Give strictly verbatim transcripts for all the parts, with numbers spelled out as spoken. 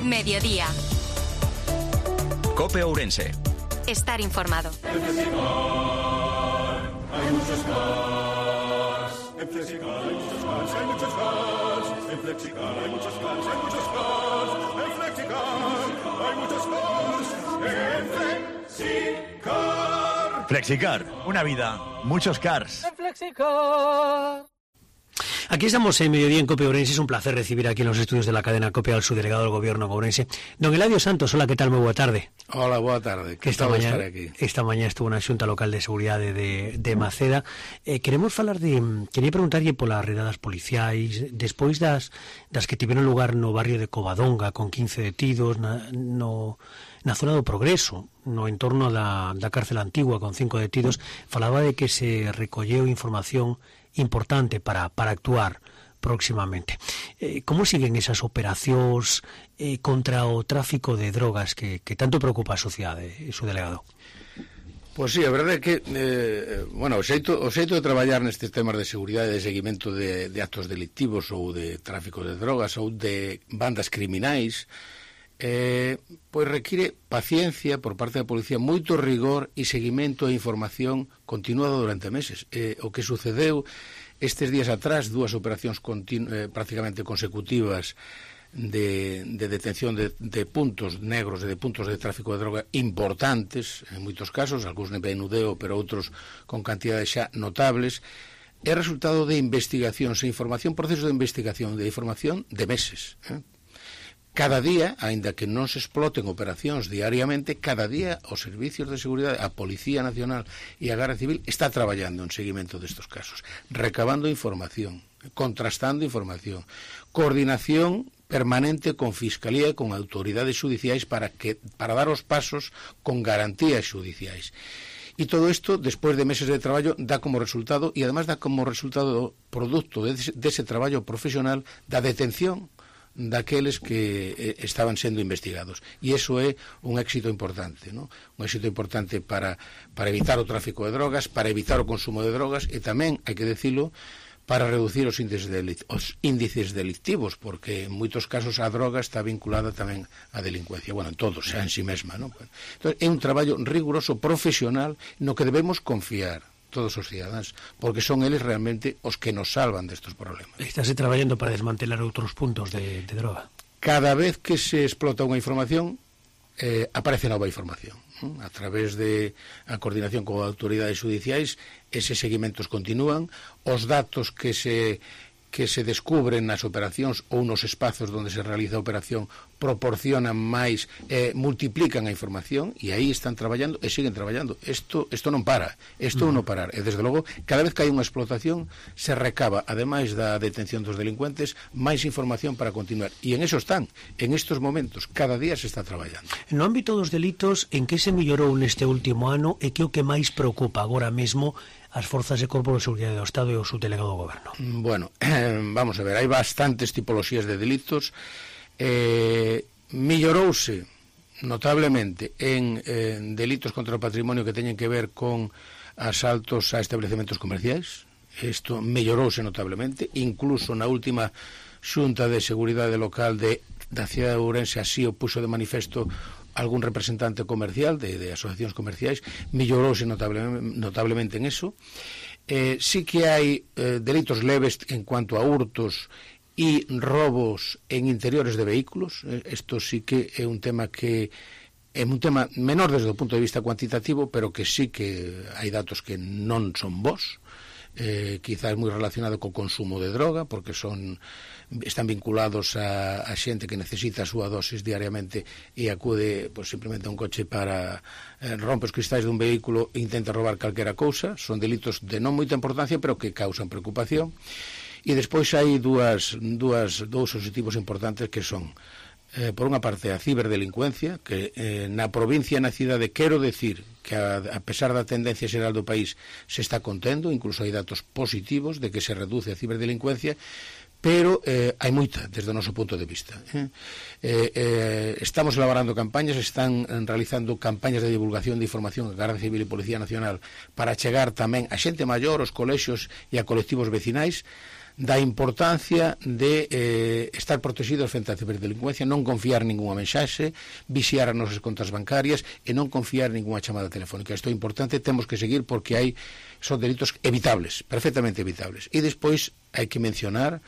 Mediodía. COPE Ourense. Estar informado. En Flexicar hay muchos cars. En Flexicar hay muchos cars, hay muchos cars. En Flexicar hay muchos cars, hay muchos cars. En Flexicar hay muchos cars. En Flexicar. Flexicar, una vida, muchos cars. En Flexicar. Aquí estamos en Mediodía en COPE Ourense. Es un placer recibir aquí en los estudios de la cadena COPE al subdelegado del Gobierno de Ourense, don Eladio Santos. Hola, ¿qué tal? Muy boa tarde. Hola, boa tarde. Que esta mañá, aquí. esta mañá estuvo na Xunta Local de Seguridade de, de Maceda. Eh, queremos falar de... Quería preguntarlle polas redadas policiais, despois das, das que tiveron lugar no barrio de Covadonga, con quince detidos, na, no... na zona do Progreso, no entorno da, da cárcel antigua, con cinco detidos. Falaba de que se recolleu información importante para, para actuar próximamente. Eh, como siguen esas operacións eh, contra o tráfico de drogas que, que tanto preocupa a sociedade, su delegado? Pois sí, a verdade é que eh, bueno, o xeito, o xeito de traballar nestes temas de seguridade e de seguimento de, de actos delictivos ou de tráfico de drogas ou de bandas criminais eh, pois require paciencia por parte da policía, moito rigor e seguimento e información continuado durante meses. Eh, o que sucedeu estes días atrás, dúas operacións continu, eh, prácticamente consecutivas de, de detención de, de puntos negros e de puntos de tráfico de droga importantes, en moitos casos, algúns de menudeo, pero outros con cantidades xa notables, é resultado de investigacións e información, procesos de investigación, de información de meses, eh? Cada día, aínda que non se exploten operacións diariamente, cada día os servicios de seguridade, a Policía Nacional e a Garda Civil está traballando en seguimento destes casos, recabando información, contrastando información, coordinación permanente con Fiscalía e con autoridades xudiciais para que para dar os pasos con garantías xudiciais. E todo isto, despois de meses de traballo, dá como resultado, e además dá como resultado producto dese, dese traballo profesional, da detención daqueles que eh, estaban sendo investigados. E iso é un éxito importante, ¿no? Un éxito importante para, para evitar o tráfico de drogas, para evitar o consumo de drogas, e tamén, hai que decirlo, para reducir os índices, delict os índices delictivos, porque en moitos casos a droga está vinculada tamén á delincuencia. Bueno, en todos, xa en si mesma, ¿no? Entón, é un traballo riguroso, profesional, no que debemos confiar todos os cidadáns, porque son eles realmente os que nos salvan destes problemas. Estáse traballando para desmantelar outros puntos de, de droga. Cada vez que se explota unha información, eh, aparece nova información. ¿no? A través de a coordinación con autoridades judiciais, eses seguimentos continúan, os datos que se que se descubren nas operacións ou nos espazos onde se realiza a operación proporcionan máis, eh, multiplican a información, e aí están traballando e siguen traballando. Isto isto non para, isto mm. non parar. E desde logo, cada vez que hai unha explotación, se recaba, ademais da detención dos delincuentes, máis información para continuar. E en eso están, en estos momentos, cada día se está traballando. No ámbito dos delitos, en que se mellorou neste último ano e que o que máis preocupa agora mesmo as forzas de Corpo de Seguridade do Estado e o subdelegado do Goberno? Bueno, eh, vamos a ver, hai bastantes tipoloxías de delitos. Eh, mellorouse notablemente en eh, delitos contra o patrimonio que teñen que ver con asaltos a establecementos comerciais. Isto mellorouse notablemente, incluso na última Xunta de Seguridade Local de, da cidade de Ourense así o puxo de manifesto algún representante comercial de, de asociacións comerciais, mellorouse notablemente, notablemente en eso. Eh, sí que hai eh, delitos leves en cuanto a hurtos e robos en interiores de vehículos. Isto eh, sí que é un tema que é un tema menor desde o punto de vista cuantitativo, pero que sí que hai datos que non son bons. Eh, quizás moi relacionado co consumo de droga, porque son están vinculados a, a xente que necesita a súa dosis diariamente e acude pues, simplemente a un coche para eh, rompe os cristais dun vehículo e intenta robar calquera cousa. Son delitos de non moita importancia, pero que causan preocupación. E despois hai dúas, dúas, dous objetivos importantes que son eh, por unha parte a ciberdelincuencia, que eh, na provincia e na cidade quero decir que a, a pesar da tendencia xeral do país se está contendo, incluso hai datos positivos de que se reduce a ciberdelincuencia, pero eh, hai moita desde o noso punto de vista. Eh, eh, estamos elaborando campañas, están realizando campañas de divulgación de información a Garda Civil e Policía Nacional para chegar tamén a xente maior, aos colexios e a colectivos vecinais, da importancia de eh, estar protegidos frente á ciberdelincuencia, non confiar ninguna mensaxe, vixiar as nosas contas bancarias e non confiar ninguna chamada telefónica. Isto é importante, temos que seguir porque hai son delitos evitables, perfectamente evitables. E despois hai que mencionar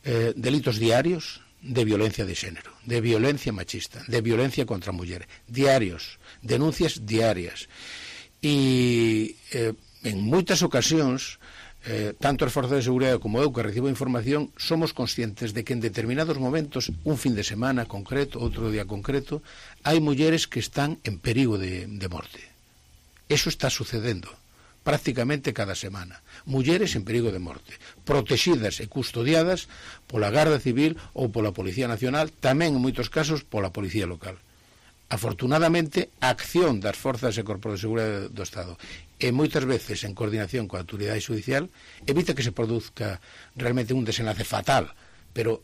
eh, delitos diarios de violencia de xénero, de violencia machista, de violencia contra a muller, diarios, denuncias diarias. E eh, en moitas ocasións Eh, tanto as forzas de seguridade como eu que recibo información somos conscientes de que en determinados momentos, un fin de semana concreto, outro día concreto, hai mulleres que están en perigo de, de morte. Eso está sucedendo prácticamente cada semana. Mulleres en perigo de morte, protegidas e custodiadas pola Garda Civil ou pola Policía Nacional, tamén en moitos casos pola Policía Local. Afortunadamente, a acción das forzas e corpos de seguridade do Estado e moitas veces en coordinación coa autoridade judicial evita que se produzca realmente un desenlace fatal, pero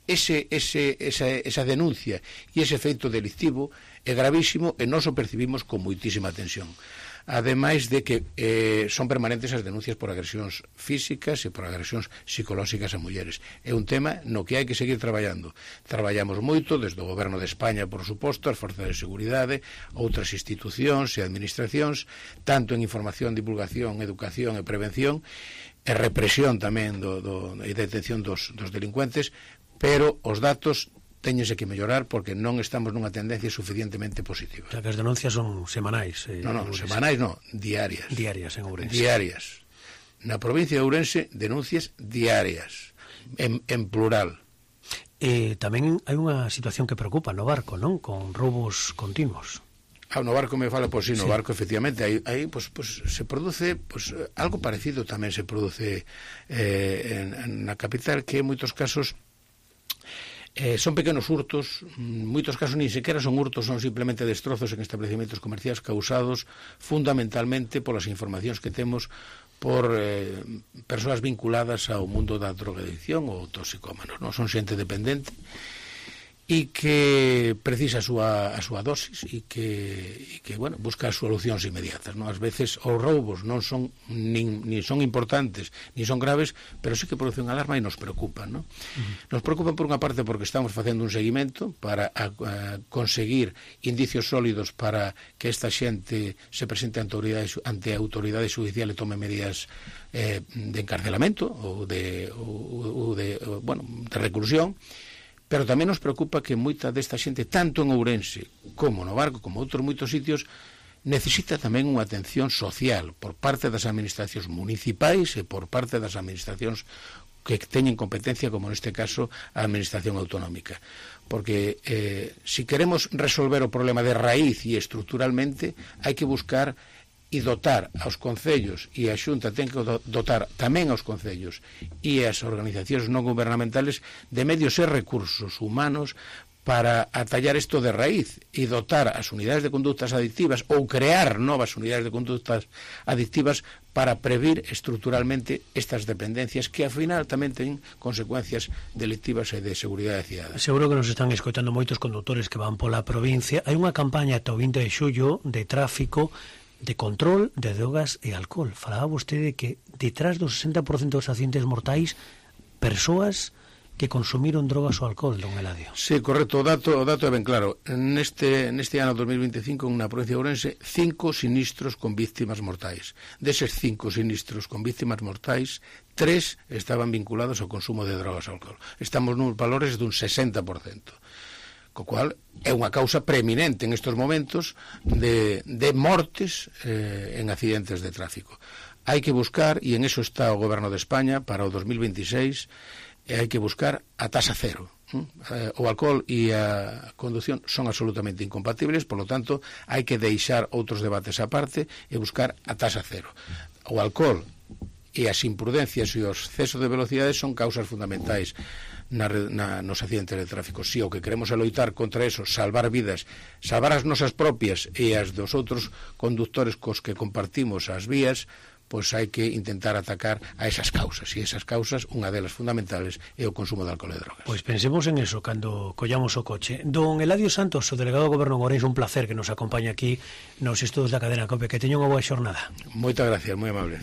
ese, ese, esa, esa denuncia e ese feito delictivo é gravísimo e nós o percibimos con moitísima tensión. Ademais de que eh, son permanentes as denuncias por agresións físicas e por agresións psicolóxicas a mulleres. É un tema no que hai que seguir traballando. Traballamos moito desde o Goberno de España, por suposto, as forzas de seguridade, outras institucións e administracións, tanto en información, divulgación, educación e prevención, e represión tamén do, do, e detención dos, dos delincuentes, pero os datos téñense que mellorar porque non estamos nunha tendencia suficientemente positiva. O sea, que as denuncias son semanais. Eh, non, non, semanais non, diarias. Diarias en Ourense. Diarias. Na provincia de Ourense, denuncias diarias, en, en plural. Eh, tamén hai unha situación que preocupa no barco, non? Con roubos continuos. Ah, no barco me fala, pois sí, no sí. barco efectivamente aí, aí pues, pues, se produce pues, algo parecido tamén se produce eh, en, en na capital, que en moitos casos Eh, son pequenos hurtos, en moitos casos ni sequera son hurtos, son simplemente destrozos en establecementos comerciais causados fundamentalmente polas informacións que temos por eh, persoas vinculadas ao mundo da drogadicción ou toxicómanos, non? Son xente dependente e que precisa a súa, a súa dosis e que, e que bueno, busca solucións inmediatas, non? Ás veces os roubos non son nin, nin son importantes, nin son graves, pero sí que producen alarma e nos preocupan, non? Uh-huh. Nos preocupan por unha parte porque estamos facendo un seguimento para a, a conseguir indicios sólidos para que esta xente se presente ante a autoridade, ante a autoridade judicial e tome medidas eh, de encarcelamento ou de, ou, ou de, ou, bueno, de reclusión. Pero tamén nos preocupa que moita desta xente, tanto en Ourense como no barco, como outros moitos sitios, necesita tamén unha atención social por parte das administracións municipais e por parte das administracións que teñen competencia, como neste caso a administración autonómica. Porque eh, si queremos resolver o problema de raíz e estruturalmente, hai que buscar e dotar aos concellos, e a Xunta ten que dotar tamén aos concellos e as organizacións non gobernamentales de medios e recursos humanos para atallar isto de raíz e dotar as unidades de conductas adictivas ou crear novas unidades de conductas adictivas para previr estruturalmente estas dependencias que ao final tamén ten consecuencias delictivas e de seguridade cidadana. Seguro que nos están escoitando moitos conductores que van pola provincia. Hai unha campaña ata o vinte de xullo de tráfico, de control de drogas e alcohol. Falaba vostede que detrás do sesenta por cento dos accidentes mortais, persoas que consumiron drogas ou alcohol, don Eladio. Sí, correcto, o dato, o dato é ben claro. Neste, neste ano dos mil veinticinco, na provincia de Ourense, cinco sinistros con víctimas mortais. Deses cinco sinistros con víctimas mortais, tres estaban vinculados ao consumo de drogas e alcohol. Estamos nos valores dun sesenta por cento. Co cual é unha causa preeminente en estes momentos de, de mortes eh, en accidentes de tráfico. Hai que buscar, e en eso está o Goberno de España para o dos mil veintiséis, e hai que buscar a tasa cero. Eh, o alcohol e a conducción son absolutamente incompatibles, por lo tanto, hai que deixar outros debates aparte e buscar a tasa cero. O alcohol e as imprudencias e os excesos de velocidade son causas fundamentais na, na, nos accidentes de tráfico. Si o que queremos é loitar contra eso, salvar vidas, salvar as nosas propias e as dos outros conductores cos que compartimos as vías, pois hai que intentar atacar a esas causas. E esas causas, unha delas fundamentales, é o consumo de alcohol e drogas. Pois pensemos en eso cando collamos o coche. Don Eladio Santos, o delegado do Goberno de Ourense, un placer que nos acompañe aquí nos estudos da cadena COPE. Que teña unha boa xornada. Moitas gracias, moi amable.